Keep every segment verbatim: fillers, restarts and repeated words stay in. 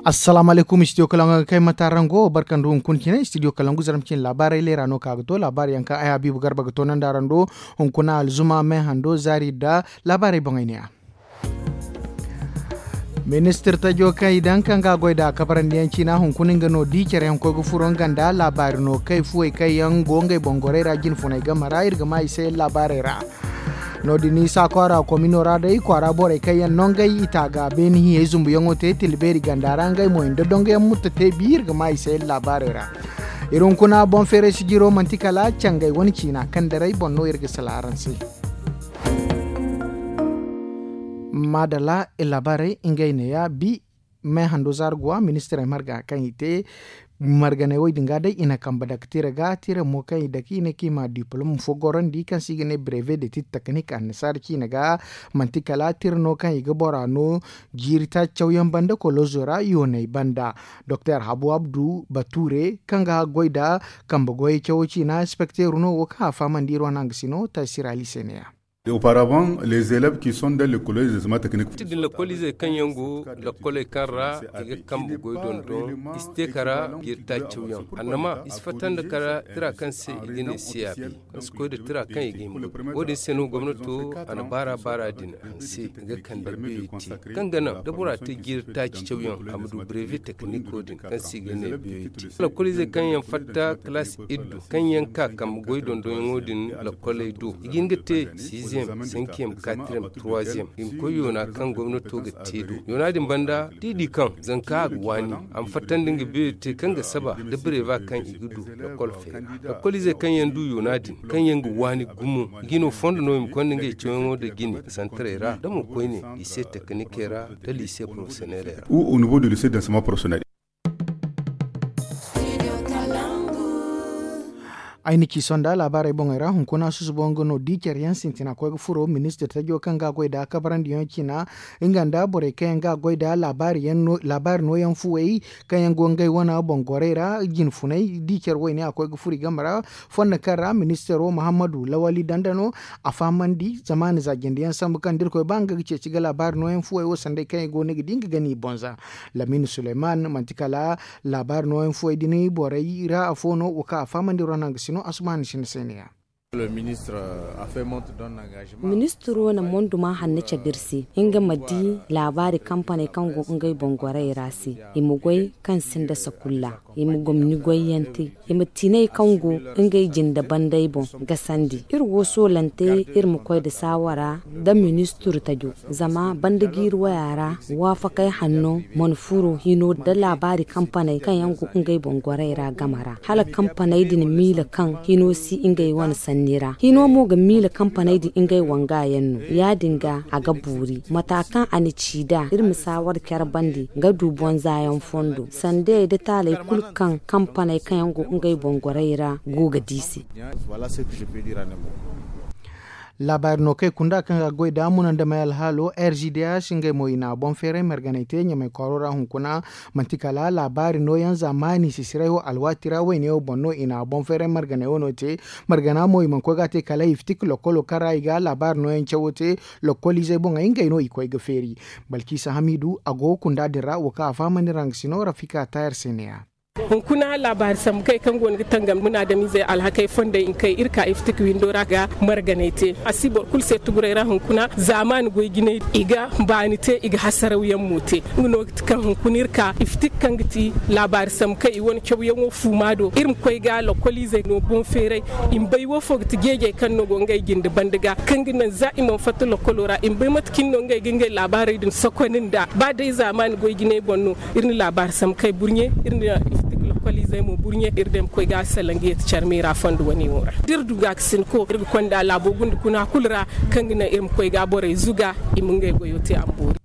Assalaamu alaykum, studio kalangu ga kay mata rango barka nda hunkuna cine studio kalangu zarma cine laabaarey leera no ka ga to laabaari yaŋ kaŋ ay habiibu garba ga to nanda araŋ do. Hunkuna alzuma me hando zaari nda laabaarey boŋey ne-ya. Ministir tajo kaŋ i daŋ kaŋ ga a goy nd'a kabarandi yaŋ ciina hunkuna nga no di care yaŋ koy ga furo nga nda laabaari no kay fuwey kaŋ yaŋ go ngey boŋ gorey ra jinfuney game ra iri ga ma i se laabaarey ra. No- din isa kwaara komino ra day kwaara borey kaŋ yaŋ no ngey i taaga beene hiyey zumbuyaŋo te tila beeri ganda ra ngey mo i nda dongoyaŋ mutta te bi iri ga ma i se laabaarey ra. Iri hunkuna boŋ feeray sijiro manti kala cangey wane ciina kaŋ daray boŋ no iri ga sala araŋ se. Maadalla, iri laabaarey ngey neeya bi. Me hando zaara guwa ministirey marga kaŋ i te marganey wo- din ga day i na kambe dake tira ga tira mo kaŋ i dake i ne kaŋ i ma diplom fo gorandi kaŋ se i ga ne breve de tit teknik annasaara ciine ga. Manti kala tira no kaŋ i ga bora no jiiri taaci cawyaŋ banda kolozo ra yooney banda. Doktor habu abdu bature kaŋ ga goy nda kambe goyey cawo ciina inspekteero no wo kaŋ a fahamandi iri wane hangasino taysir ali se neeya. Auparavant les élèves qui sont dans les collèges des zama techniques. Ti din lakkoliizey kaŋ yaŋ go lakkoley kaŋ ra i ga kambe goy dondon i si te kara jiiri taaci cawyaŋ annama i si fatta nda kara tira kaŋ se i ga ne cap kaŋ si koy nda tira kaŋ i ga hima. Wo- din se no gomnato a na baara baara din hanse ga kande beeri te kaŋ ga naŋ da bora te jiiri taaci cawyaŋ a ma du breve tekniko din kaŋ se i ga ne beeri te. Lakkoliizey kaŋ yaŋ fatta kalaas iddu kaŋ yaŋ ka kambe goy dondonyaŋo din lakkoley do i ga hin ga te siiziyem sinkiyem katiriyem turuwaziyem i ma koy yoona kaŋ gomnato ga te do. Yoona din banda da i di kaŋ zanka a ga waani a ma fattandi nga beeri te kaŋ ga saba da breva kaŋ i ga du lakkol feera. Lakkoliizey kaŋ yaŋ du yoona din kaŋ yaŋ ga waani gumo i ga i no fondo no i ma konda ngey cawyaŋo nda jine santarey ra da mo koyne lycée technique ra nda lycée professionnel ra. Ou au niveau du lycée d'enseignement professionnel. Ay na ci sonda laabaarey boŋey ra hunkuna susubo nga no di care yaŋ sintina koy ga furo ministir tajo kaŋ ga a goy nda kabarandiyaŋo ciina nga nda borey kaŋ yaŋ ga a goy nda laabaari nooyaŋ fuwey kaŋ yaŋ go ngey wane boŋ gorey ra jinfuney di care woyne a koy ga furo i game ra. Fondo kaŋ ra ministiro muhammadu lawali danda no a fahamandi zamaani za jinde yaŋ sambu kaŋ da irkoy ba nga ga ceeci ga laabaari nooyaŋ fuwey wo sanday kaŋ i go no i ga di nga gani i boŋ za. Lamin suleyman manti kala laabaari nooyaŋ fuwey din borey ra afo no wo kaŋ a fahamandi iri wane hangasino asumaani sinda se ne-ya. Ministiro na monduma hanno cabe iri se nga ma di laabaari kampaney kaŋ go ngey boŋ gorey ra se i ma goy kaŋ sinda sakulla i ma gomni goyyaŋ te i ma tiney kaŋ go ngey jinde bandey boŋ gasandi iri wo soolante iri ma koy nda saawara nda ministir tajo zama banda jiiri waya ra waafakey hanno mana furo hino nda laabaari kampaney kaŋ yaŋ go ngey boŋ gorey ra game ra hala kampaney din miila kaŋ hino si ngey wane sanni ra hino mo ga miila kampaney din ngey wanga yaŋ no ya- din ga a ga boori mata kaŋ a na ci nd'a iri ma saawara care bande ga du boŋ za yaŋ fondo sandey nda taaley kulu kaŋ kampaney kaŋ yaŋ go ngey boŋ gorey ra go ga di se. Laabaari no kaŋ ay kunda kaŋ ga goy nda muna nda may alhaalo r g d h ngey mo i na boŋ feeray marganay te ɲamay kwaaro ra hunkuna. Manti kala laabaari nooyaŋ za maani sisiray wo alwaati ra wayne wo boŋ no i na boŋ feeray marganay wano te. Margana mo i mana koy ga a te kala iftik lokkolo kaŋ ra i ga laabaari nooyaŋ cawo te. Lokkoliizey boŋey ngey no i koy ga feeri. Balkiisa hamiidu a go kunda din ra wo kaŋ a fahamandi ra nga si no rafika tayar se neeya. Hunkuna laabaari sambu kay kaŋ go no ga tangam munaadamizey alhakey fondey nkay iri ka iftik windo ra ga marganay te a si boro kulu se tuguray ra hunkuna zaamaani goy jinay i ga baani te i ga hasarawyaŋ mo te. Nga no ga ti kaŋ hunkuna iri ka iftik kaŋ ga ti laabaari sambu kay i wane cawyaŋo fuuma do iri ma koy ga lokkoliizey no boŋ feeray. I ma bay woofo ga ti jeejey kaŋ no go ngey jinde banda ga kaŋ ga naŋ za i mana fatta lokkolo ra i ma bay mate cine no ngey ga ngey laabaarey din sokoni nd'a ba day zaamaani goy jinay boŋ no. Iri na laabaari sambu kay burɲe iri na iftik lokkoliizey mo burɲe iri day ma koy ga salaŋ ga yeeti care meera fondo wane wo ra da iri du ga ga sinko iri ga konda laabo gunda kuna kulu ra kaŋ ga naŋ iri ma koy ga borey zuga i ma ngey goyo te a ma boori.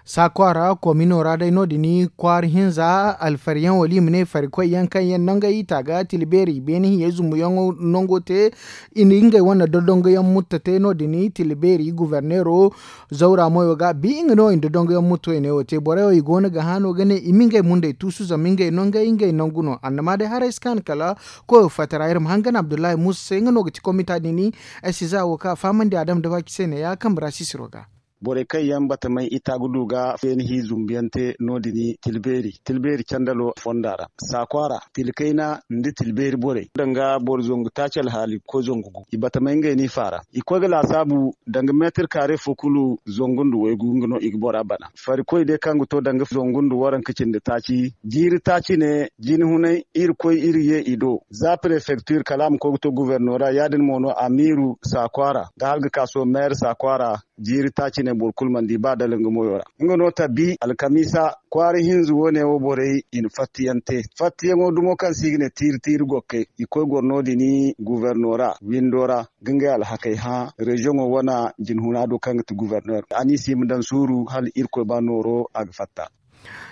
Saakwa ra komino ra day no- din kwaara hinza alfariyaŋ wala i ma ne farikoy yaŋ kaŋ yaŋ nangey i taaga tila beeri beene hiyey zumbuyaŋo nango te. I na ngey wane dodongoyaŋ mutta te no- din tila beeri guverneero. Zawra moyo ga bi nga no i na dodongoyaŋ mutta wayne wo te borey wo i go no ga hã no ga ne i ma ngey mundey tuusu zama ngey nangey ngey nangu no annama day haray si kaanu kala koyo fatta ra iri ma hangan abdullahi muusa se nga no ga ti komita din. Ay si za wo kaŋ a fahamandi adam da baaki se ne ya kambe ra sisiro ga. Borey kaŋ yaŋ batamay ita ga du ga feeni hi zumbu yaŋ te no- din tilbeeri tilbeeri candalo fonda ra saakwa ra, tilkayna nda tilbeeri borey danga boro zangu taaci alhaali ga koy zangu gu i batamay ngey no i faara. I koy ga laasaabu danga meetir kaare fo kulu zangu nda waygu nga no i ga bora bana. Farikoy day kaŋ ga to danga zangu nda waranka cindi taaci jiiri taaci ne jine hunay iri koy iri ye i do za prefektir kala a ma koy ga to gubernora ya- din mo no amiiru saakwa ra da hala ga ka soho meere saakwa ra. Jiiri taaci ne boro kulu mana di ba dala nga moyo ra. Nga no tabi alkamiisa kwaara hinza wo- ne wo borey i na fattayaŋ te. Fattayaŋo dumo kaŋ se i ga ne tiiri tiiri gokkey i koy goro no- din gubernora windo ra ga ngey alhakey hã reziyoŋo wane jinhuna do kaŋ ga ti gubernor a n'i si i ma daŋ suuru hala irkoy ba nooro a ga fatta.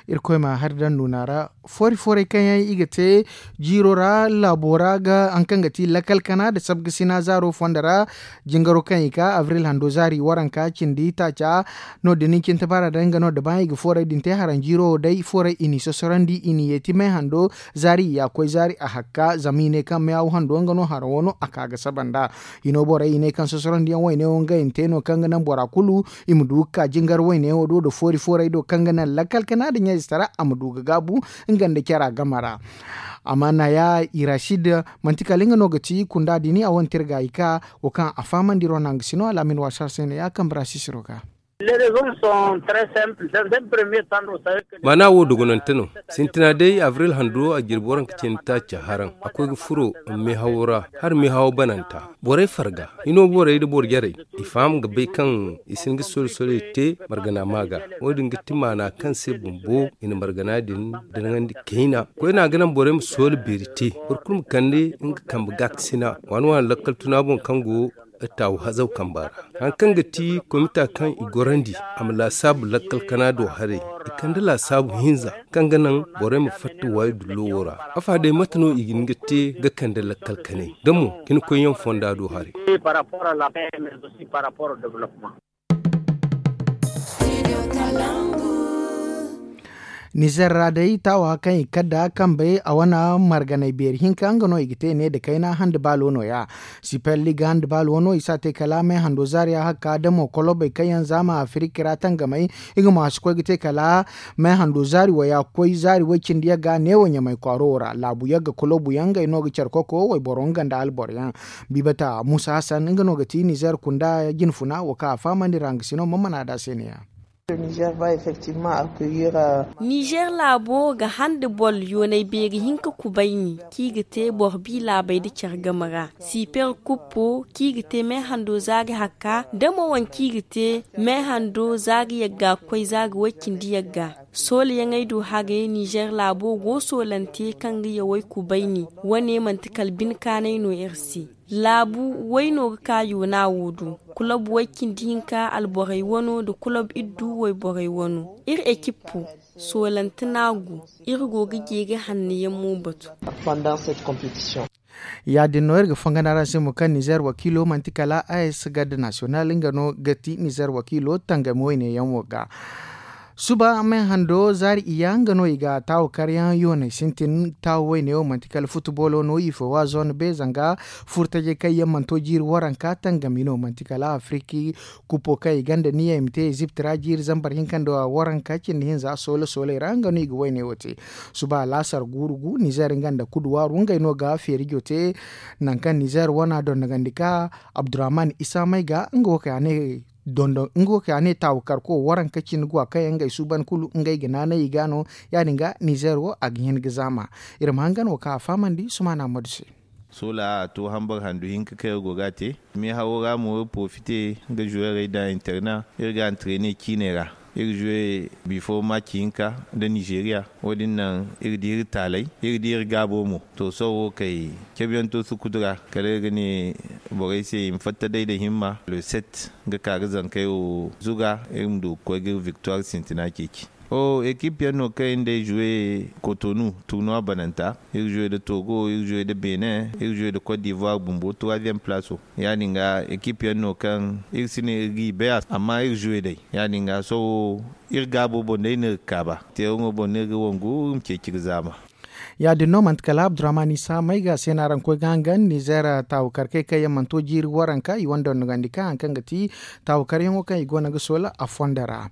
Irkoy ma hari daŋ nuuna ra. Foori foorey kaŋ yaŋ i ga te jiiro ra laabo ra ga haŋ kaŋ ga ti lakal kana nda sabgasina zaaro fonda ra. Jingaro kaŋ i ka abril hando zaari waranka cindi taaca no- din ni cinta baara day nga no da ba i ga foorey din te haraŋ jiiro wo day foorey i n'i sosorandi i n'i yeeti may hando zaari i ya koy zaari a hakka zama i ne kaŋ may haw hando nga no haraŋo no a ka ga saba nd'a. Hino borey i ne kaŋ sosorandi yaŋ wayne wo ngey na te no kaŋ ga naŋ bora kulu i ma du ga ka jingar wayne wo do nda foori foorey do kaŋ ga naŋ lakkal kana nda ɲayze tara a ma du ga gaabu nga nda cara game ra. Amma naya i racid manti kala nga no ga ti kunda din a wane tirga i ka wo kaŋ a fahamandi ro naŋ ga si no alaamin waasa se no ya kambe ra sisiro ga. Maana wo dogonante no. Sintina day abril hando a jirbi waranka cindi taaca haraŋ a koy ga furo meehawo ra hala meehawo bananta. Borey farga hino borey nda boro jarey i faham ga bay kaŋ i si hin ga sori sorey te margana ma ga. Wo- din ga ti maana kaŋ se bumbo i na margana din danaŋandi kayna koyne a ga naŋ borey ma soola beeri te. Boro kulu ma kande nga kambe gaakasina waani waani lakkal tuna boŋ kaŋ go taawu hazaw kamba ra. Hari kaŋ ga ti komita kaŋ i gorandi a ma laasaabu lakkal kana do haray i kande laasaabu hinza kaŋ ga naŋ borey ma fatta waayi dullo wo ra. Afa day mate no i ga hin ga te ga kande lakkal kanay da mo ga ni koy yaŋ fonda do haray. Nizer ra day taawa kaŋ i kadda kambey a wane marganay beeri hinka nga no i ga te ne nda kayna hande baalo no- ya. Siper liga hande baalo no i si a te kala may hando zaariya hakka da mo kolobey kaŋ yaŋ zaama afiriki ra tangamey i ga ma si koy ga te kala may hando zaari waya ga koy zaari way- cindi yagga neewo ɲamay kwaaro wo ra laabu yagga kolobu yaŋ ngey no ga care koko wayboro nga nda alboro yaŋ. Bibata muusa hasan nga no ga ti nizer kunda jinfuna wo kaŋ a fahamandi ra nga si no ma mana da se ne- ya. Nizer laabo ga hande boro yoonay beeri hinka kubayni kaŋ i ga te boro bi laabey nda care game ra. Siper kuppo kaŋ i ga te meehando zaari hakka nda mo wane kaŋ i ga te meehando zaari yagga ga koy zaari way- cindi yagga. Soolayaŋey do haray nizer laabo go soolante kaŋ ga yawey kubayni. Wane manti kala bine kaanay no iri se. Laabu way no ga ka yoona wo do. Kulob way- cindi hinka alborey wano nda kulob iddu wayborey wano. Iri ekippo soolante no a go. Iri go ga jeeri hanno yaŋ mo batu. Ya- din no iri ga fangana ra se mo kaŋ nizer wakiilo manti kala a s garde nasiyonal nga no ga ti nizer wakiilo tangami wayne yaŋ wo ga. Suba meehando zaari iyya nga no i ga taawu karyaŋ yoonay sintin taawu wayne wo manti kala futubolo no i fo wa zone be zanga furtajey kaŋ yaŋ mana to jiiri waranka tangami no manti kala afiriki. Kuppo kaŋ i gonda niya i ma te ezipt ra jiiri zambar hinka nda waranka cindi hinza soola sooley ra nga no i ga wayne wo te. Suba laasar guuru gu nizer nga nda kuduwaaru ngey no ga feerijo te. Nangu kaŋ nizer wana dondogandi ka abdurrahman isa may ga nga wo kaŋ a ne dondon nga wo kaŋ a ne taawu karko waranka cindi guwa kaŋ yaŋ ngey suuban kulu ngey ga naanay i ga no. Ya- din ga nizer wo a ga hin ga zaama. Iri ma hangan wo kaŋ a fahamandi sumaana madu se. Soola a to hambar handu hinka kaŋ iri go ga a te. Meehawo ra mo iri porofite nga zuweerey daŋ interna iri ga antrene ciiney ra. Iri zuwe bifo maci hinka nda nizeeriya. Wo- din naŋ iri di iri taaley iri di iri gaabo mo. To sohõ wo kay cabe yaŋ to sukudu ra kala iri ga ne borey se i ma fatta day nda himma le set nga ka ga zankey wo zuga iri ma du ga koy ga iri viktuwar sintina ceeci. Ekip yaŋ no kaŋ iri nda ay zuwe kotonu turnuwa bananta. Iri zuwe nda togo iri zuwe nda benin iri zuwe nda kot divoire bumbo troisième place. Ya- din ga ekip yaŋ no kaŋ iri si ne iri g'i bay a se amma iri zuwe day. Ya- din ga sohõ iri gaabo boŋ day no iri ga kaaba teeraŋo boŋ no iri ga wangu iri ma ceeci ga zaama. Ya- din no manti kala abdurrahman isa may ga se no araŋ koy ga hangan nizeer taawukarkey kaŋ yaŋ mana to jiiri waranka i wane dondogandi ka hari kaŋ ga ti taawukaryaŋo kaŋ i go no ga soola a fondo ra.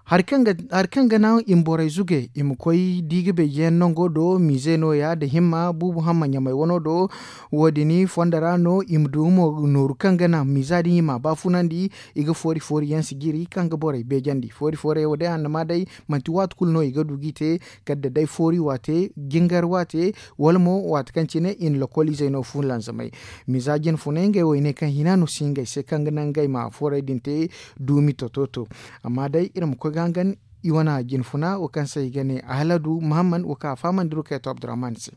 Hari kaŋ ga naŋ i ma borey zuge i ma koy di ga beejiyaŋ nango do mize no- ya nda himma buubu hamma ɲamay wano do. Wo- din fondo ra no i ma du mo nooru kaŋ ga naŋ miza din i m'a baafunandi. I ga foori foori yaŋ si jiri kaŋ ga borey beejandi foori foori yaŋ wo day annama day manti waati kulu no i ga du g'i te. Kala da day foori waate jingar waate wala mo waati kaŋ cine i na lokoliizey no fulanzamay. Miza jinfunay ngey wo i ne kaŋ hina no si ngey se kaŋ ga naŋ ngey ma foorey din te duumi tototo. Amma day iri ma koy ga hangan i wane jinfuna wo kaŋ se i ga ne ahaladu mahamman wo kaŋ a fahamandi rukayto abdurrahman se.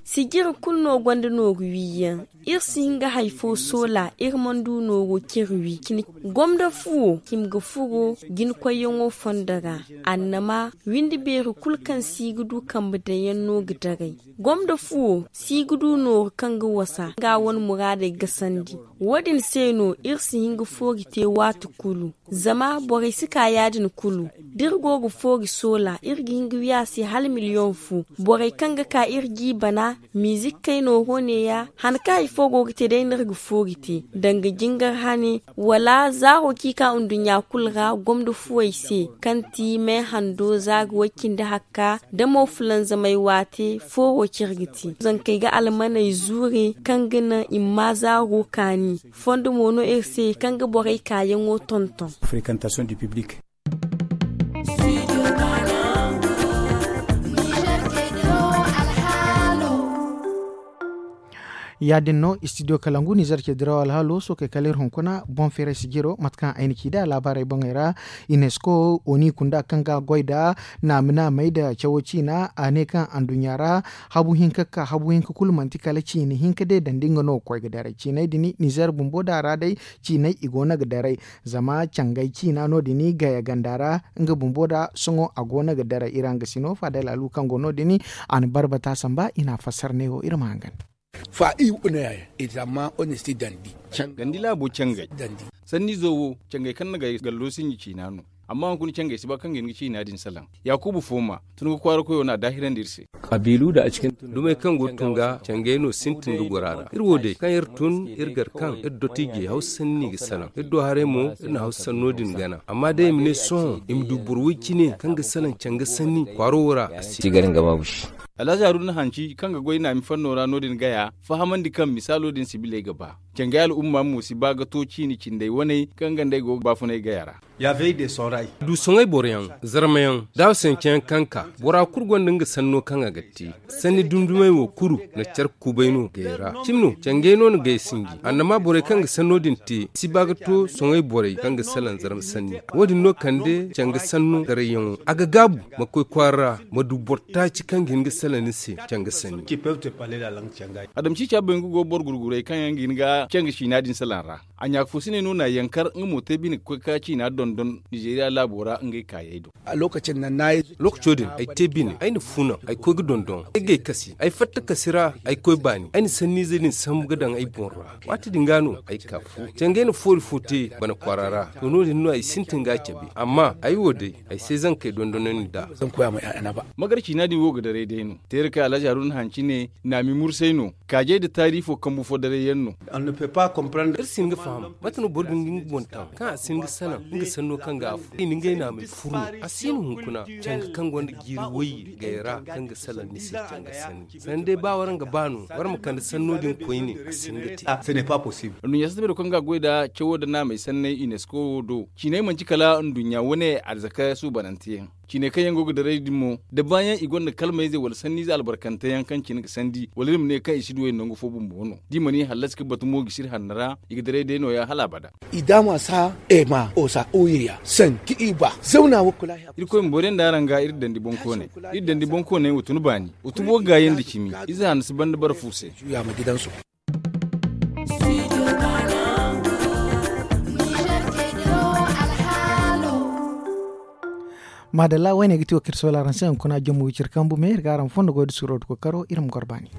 Sijiri kulu no gonda nooru wiiyaŋ. Iri si hin ga hari fo soola iri mana du nooro care wi cine. Gomda fuwo hima ga furo jinkoyyaŋo fondo ra. Annama windi beeri kulu kaŋ si ga du kambe daŋ yaŋ no ga daray. Gomda fuwo si ga du nooru kaŋ ga wasa nga wane muraadey gasandi. Wo- din se no iri si hin ga foori te waati kulu. Zama borey si ka ya- din kulu da iri go ga foori soola iri ga hin ga wi a se hala miliyoŋ fo. Borey kaŋ ga ka iri g'i bana miizik kayno ho neeya han kaŋ hari fo go ga te day no iri ga foori te danga jingar hane wala zaaro kaŋ i ka nduɲɲa kulu ra gomda fuwey se kaŋ ti me hando za ga way cindi hakka da mo fulanzamay waate fooro care ga te zankey ga almaney zuure kaŋ ga naŋ i ma ma zaaro kaani. Fondo mo no iri se kaŋ ga borey kaayaŋo tonton. Ya- din no istidiyo kalangu nizer ce diraw alhaalo sookey kala iri hunkuna boŋ feeray sijiro mate kaŋ ay na ci nd'a laabaarey boŋey ra. Unesco oni kunda kaŋ ga a goy nd'a naama naamey nda cawo ciina a ne kaŋ anduɲɲa ra habu hinka ga ka habu hinka kulu manti kala ciina hinka day dandi nga no ga koy ga daray ciiney din nizer bumbo da a ra day. Ciiney i go no ga daray zama cangay ciina no- din gaya ganda ra nga bumbo da sohõ a go no ga daray iri hangasino faadalaalu kaŋ go no- din a na barbata samba i na a fassara ne wo iri ma hangan. Fa i wu ne ya ya i zama honesti dandi. Gandi laabo cangay sannizo wo cangay kaŋ na gay gallo sinji ciina no. Amma hunkuna cangay si ba kaŋ ga hin ga ciina din salaŋ. Yaakuubu fooma tun ga kwaara koyo no a daahirandi iri se. Dumey kaŋ go ga tun ga cangay no sintin ga goro a ra iri wo day kaŋ iri tun iri gar kaŋ iri dotiijey hawsa sanni ga salaŋ iri do haray mo iri na hawsa sanno din gana amma day i ma ne sohõ i ma du boro way cine kaŋ ga salaŋ canga sanni kwaaro wo ra a si. Alhazi haruna hanci kaŋ ga goy naami fanno ra no- din gaya fahamandi kaŋ misaalo din sibiley ga ba. Cangay al'umma mo si ba ga to ciini cindey waney kaŋ ga nd'ey go ga baafunay gaya ra. Du soŋay boroyaŋ zarmayaŋ daawasancayaŋ kaŋ ka bora kulu gonda nga sanno kaŋ a ga te. Sanni dumdumey wo kulu na care kubay no gay ra cimi no cangay no na gay sinji annama borey kaŋ ga sanno din te si ba ga to soŋay borey kaŋ ga salaŋ zarma sanni. Wo- din no kande canga sanno garayyaŋo a ga gaabu ma koy kwaara ra ma du boro taaci kaŋ ga hin ga salaŋ ni se canga sanni. Adam ciica bay nga go boro gurguray kaŋ yaŋ ga hin ga canga ciina din salaŋ ra. A ɲaaka fo si ne no na a yankar nga mo te bine ga koy ka ciina dondon nizeeriya laabo ra ngey kaayey do. Lookaco din ay te bine ay na fuunaŋ ay koy ga dondon ay gay kasi ay fatta kasi ra ay koy baani ay na sanniize din sambu ga daŋ ay boŋ ra. Waati din ga no ay ka fu cangay na foori fo te bana kwaara ra to no- din no ay sintin ga a cabe amma ay wo day ay se zankey dondonandi nd'a. Magar ciina din wo ga daray day no teera kaŋ alhazi haruna hanci ne naami mursay no kaajay nda taari fo kambu fo daray yaŋ no. Iri si hin ga faham mate no boro ga hin ga nga boŋ taŋ kaŋ a si hin ga salaŋ nga sanno kaŋ ga a furu i na ngey naamey furu no a si no hunkuna canga kaŋ gonda jiiri wayye gay ra kaŋ ga salaŋ ni se canga sanni sanni day ba waraŋ ga ba no waraŋ ma kande sanno din koyne a si hin ga te. Anduɲɲa satta beero kaŋ ga a goy nda cawo nda naamey sanney unesco wo do ciiney manti kala anduɲɲa wane arzaka suubanante yaŋ. Ciiney kaŋ yaŋ go ga daray din mo da baayaŋ i gonda kalmayze wala sanniize albarkante yaŋ kaŋ cine ga sandi wala iri ma ne kaŋ i si duw'ey nangu fo bumbo no da i mana i hallasi ga batu mo gisiri hanno ra i ga daray day nooya hala abada. I daama sa ema osa oyiriya sanki i ba zawna wo kula. Irkoy ma boro yaŋ da araŋ ga iri dandi boŋkooney. Iri dandi boŋkooney wa tun baani wa tubo gaayandi cimi. Ize hanno si banda bara fu se. Maadalla wayne ga ti wo kaŋ iri soola araŋ se hunkuna jommo wiciri kambu me iri ga araŋ fondo goy da suuro da kookaro iri ma goro baani.